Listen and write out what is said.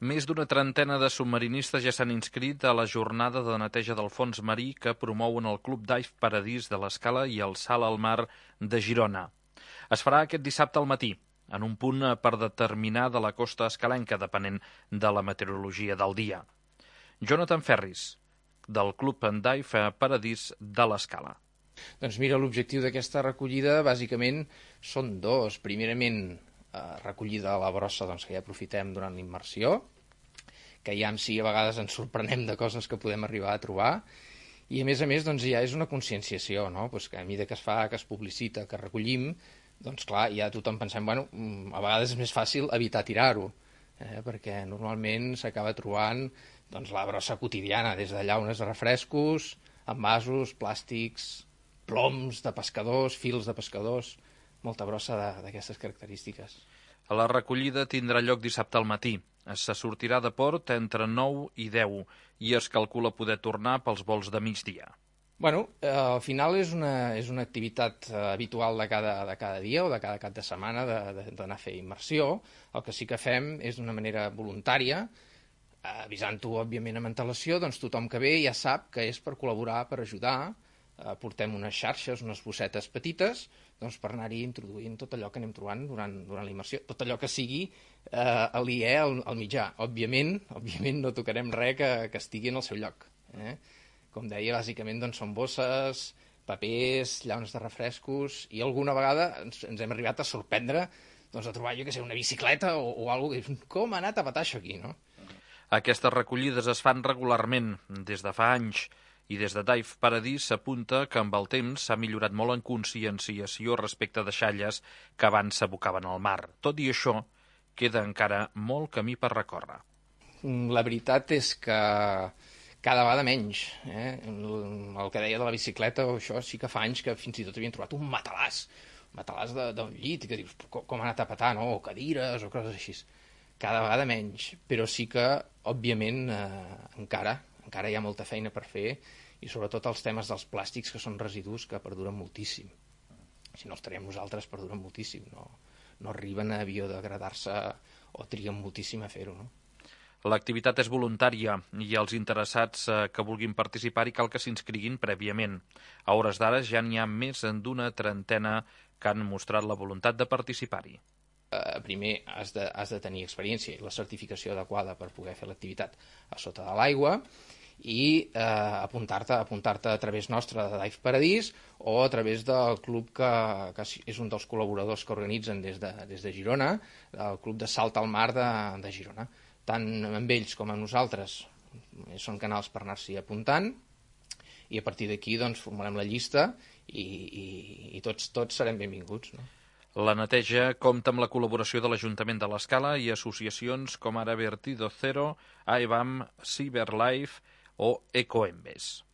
Més d'una trentena de submarinistes ja s'han inscrit a la jornada de neteja del fons marí que promouen el Club Dive Paradís de l'Escala i el Salt al Mar de Girona. Es farà aquest dissabte al matí, en un punt per determinar de la costa escalenca, depenent de la meteorologia del dia. Jonathan Ferris, del Club Dive Paradís de l'Escala. Doncs mira, l'objectiu d'aquesta recollida bàsicament són dos. Primerament, recollida de la brossa que ja aprofitem durant la immersió, que ja si a vegades ens sorprenem de coses que podem arribar a trobar, i a més ja és una conscienciació, no? Que a mesura que es fa, que es publicita, que recollim, doncs clar, ja tothom pensem, a vegades és més fàcil evitar tirar-ho, perquè normalment s'acaba trobant la brossa quotidiana, des de llaunes de refrescos, envasos, plàstics, ploms de pescadors, fils de pescadors, molta brossa d'aquestes característiques. La recollida tindrà lloc dissabte al matí. Se sortirà de port entre 9 i 10 i es calcula poder tornar pels vols de migdia. Al final és una activitat habitual de cada dia o de cada cap de setmana d'anar a fer immersió. El que sí que fem és d'una manera voluntària, avisant-ho, òbviament, amb antelació, doncs tothom que ve ja sap que és per col·laborar, per ajudar. Portem unes xarxes, unes bossetes petites, per anar-hi introduint tot allò que anem trobant durant la immersió, tot allò que sigui aliè al mitjà. Òbviament no tocarem res que estigui en el seu lloc. Com deia, bàsicament són bosses, papers, llaunes de refrescos, i alguna vegada ens hem arribat a sorprendre a trobar, una bicicleta o alguna cosa. Com ha anat a petar això aquí, no? Aquestes recollides es fan regularment des de fa anys, i des de Dive Paradís s'apunta que amb el temps s'ha millorat molt en conscienciació respecte de deixalles que abans s'abocaven al mar. Tot i això, queda encara molt camí per recórrer. La veritat és que cada vegada menys. El que deia de la bicicleta, això sí que fa anys que fins i tot havien trobat un matalàs d'un llit, i que dius, com ha anat a petar, no? O cadires o coses així. Cada vegada menys, però sí que, òbviament, encara hi ha molta feina per fer, i sobretot els temes dels plàstics, que són residus que perduren moltíssim. Si no els traiem nosaltres, perduren moltíssim. No arriben a biodegradar-se o triguen moltíssim a fer-ho, no? L'activitat és voluntària i els interessats que vulguin participar-hi cal que s'inscriguin prèviament. A hores d'ara ja n'hi ha més d'una trentena que han mostrat la voluntat de participar-hi. Primer has de tenir experiència i la certificació adequada per poder fer l'activitat a sota de l'aigua, i apuntar-te a través nostre de Dive Paradís o a través del club que és un dels col·laboradors que organitzen des de Girona, el Club de Salt al Mar de Girona. Tant amb ells com amb nosaltres són canals per anar-s'hi apuntant, i a partir d'aquí formarem la llista i tots serem benvinguts, no? La neteja compta amb la col·laboració de l'Ajuntament de l'Escala i associacions com ara Vertido Zero, AEBAM, CyberLife o Ecoembes.